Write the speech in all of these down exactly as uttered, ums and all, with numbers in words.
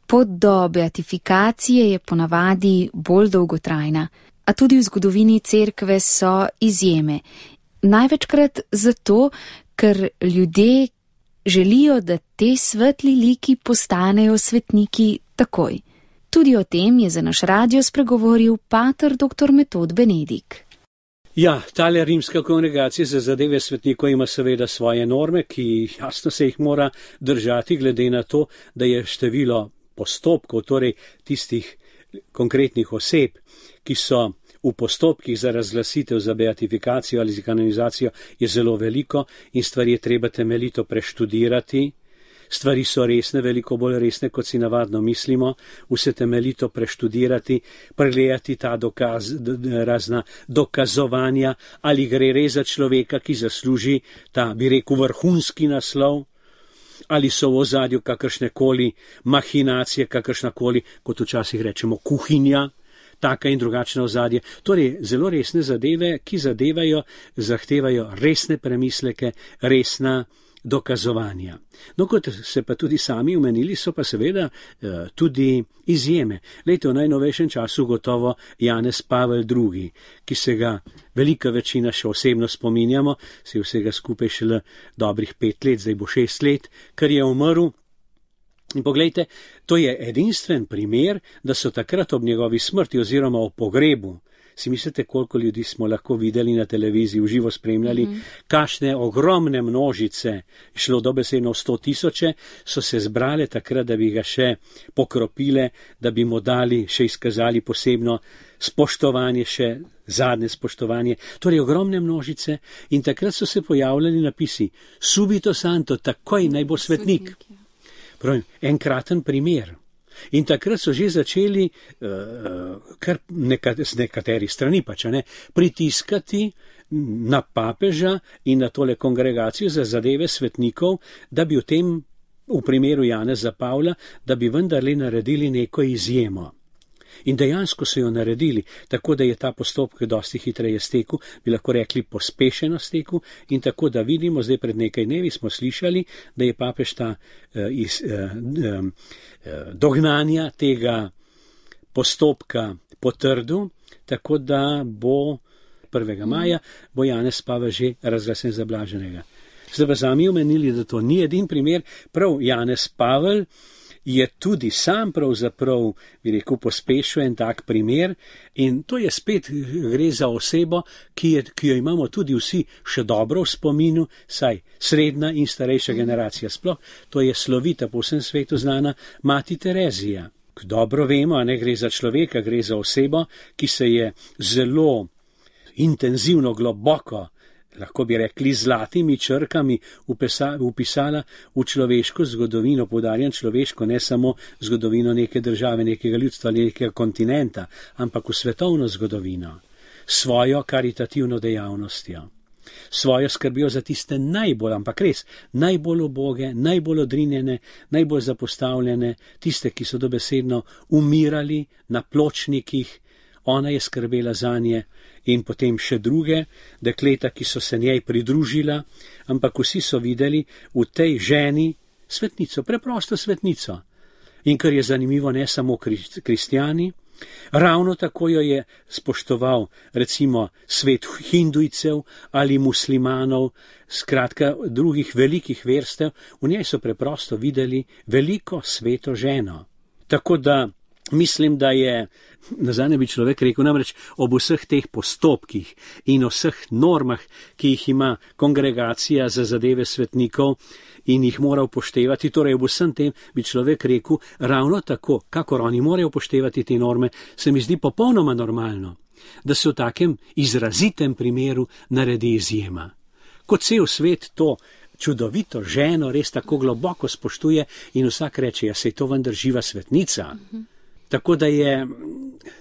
Pot do beatifikacije je ponavadi bolj dolgotrajna, a tudi v zgodovini cerkve so izjeme. Največkrat zato, ker ljudje želijo, da te svetli liki postanejo svetniki takoj. Tudi o tem je za naš radio spregovoril pater doktor Metod Benedik. Ja, tale rimska kongregacija za zadeve svetnikov ima seveda svoje norme, ki jasno se jih mora držati glede na to, da je število postopkov, torej tistih konkretnih oseb, ki so v postopkih za razglasitev, za beatifikacijo ali za kanonizacijo, je zelo veliko in stvari je treba temeljito preštudirati. Stvari so resne, veliko bolj resne, kot si navadno mislimo, vse temeljito preštudirati, pregledati ta dokaz, razna dokazovanja, ali gre res za človeka, ki zasluži ta, bi rekel, vrhunski naslov, ali so v ozadju kakršnekoli mahinacije, kakršnakoli, kot včasih rečemo, kuhinja, taka in drugačna ozadje. Torej, zelo resne zadeve, ki zadevajo, zahtevajo resne premisleke, resna dokazovanja. No, kot se pa tudi sami omenili, so pa seveda eh, tudi izjeme. Lejte, v najnovejšem času gotovo Janez Pavel drugi, ki se ga velika večina še osebno spominjamo, se je vsega skupaj šele dobrih pet let, zdaj bo šest let, ker je umrl. In poglejte, to je edinstven primer, da so takrat ob njegovi smrti oziroma ob pogrebu, si mislite, koliko ljudi smo lahko videli na televiziji, v živo spremljali, mm-hmm. Kakšne ogromne množice, šlo dobesedno sto tisoče, so se zbrale takrat, da bi ga še pokropile, da bi mu dali, še izkazali posebno spoštovanje, še zadnje spoštovanje. Torej ogromne množice in takrat so se pojavljali napisi subito santo, takoj naj bo svetnik. Pravim, enkraten primer. In takrat so že začeli, uh, kar nekat, z nekaterih strani pač, ne, pritiskati na papeža in na tole kongregacijo za zadeve svetnikov, da bi v tem, v primeru Janeza Pavla, da bi vendarle naredili neko izjemo. In dejansko so jo naredili, tako da je ta postopek dosti hitreje stekel, bi lahko rekli pospešeno stekel, in tako da vidimo, zdaj pred nekaj dnevi smo slišali, da je papež ta uh, iz, uh, um, uh, dognanja tega postopka potrdil, tako da bo prvega maja bo Janez Pavel že razglasen za blaženega. Zdaj pa sami omenili, da to ni edin primer, prav Janez Pavel je tudi sam pravzaprav, bi rekel, pospešil en tak primer in to je spet, gre za osebo, ki, je, ki jo imamo tudi vsi še dobro v spominu, saj srednja in starejša generacija sploh, to je slovita po vsem svetu znana mati Terezija. Dobro vemo, a ne gre za človeka, gre za osebo, ki se je zelo intenzivno, globoko, lahko bi rekli zlatimi črkami upisala v človeško zgodovino, poudarjam človeško, ne samo zgodovino neke države, nekega ljudstva ali nekega kontinenta, ampak v svetovno zgodovino, svojo karitativno dejavnostjo, svojo skrbijo za tiste najbolj, ampak res, najbolj uboge, najbolj odrinjene, najbolj zapostavljene, tiste, ki so dobesedno umirali na pločnikih, ona je skrbela zanje. In potem še druge dekleta, ki so se njej pridružila, ampak vsi so videli v tej ženi svetnico, preprosto svetnico. In kar je zanimivo, ne samo kristjani, ravno tako jo je spoštoval recimo svet hindujcev ali muslimanov, skratka drugih velikih verstev, v njej so preprosto videli veliko sveto ženo. Tako da mislim, da je, nazadnje bi človek rekel, namreč ob vseh teh postopkih in vseh normah, ki jih ima kongregacija za zadeve svetnikov in jih mora upoštevati, torej ob vsem tem bi človek rekel, ravno tako, kakor oni morajo upoštevati te norme, se mi zdi popolnoma normalno, da se v takem izrazitem primeru naredi izjema. Kot cel svet to čudovito ženo res tako globoko spoštuje in vsak reče, ja, saj to vendar živa svetnica. Mhm. Tako da je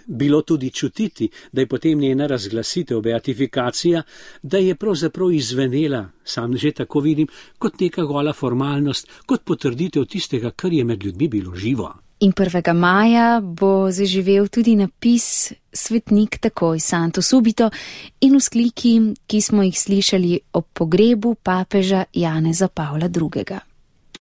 bilo tudi čutiti, da je potem njena razglasitev, beatifikacija, da je pravzaprav izvenela, sam že tako vidim, kot neka gola formalnost, kot potrditev tistega, kar je med ljudmi bilo živo. In prvega maja bo zaživel tudi napis Svetnik takoj, Santo subito, in vzkliki, ki smo jih slišali ob pogrebu papeža Janeza Pavla drugega.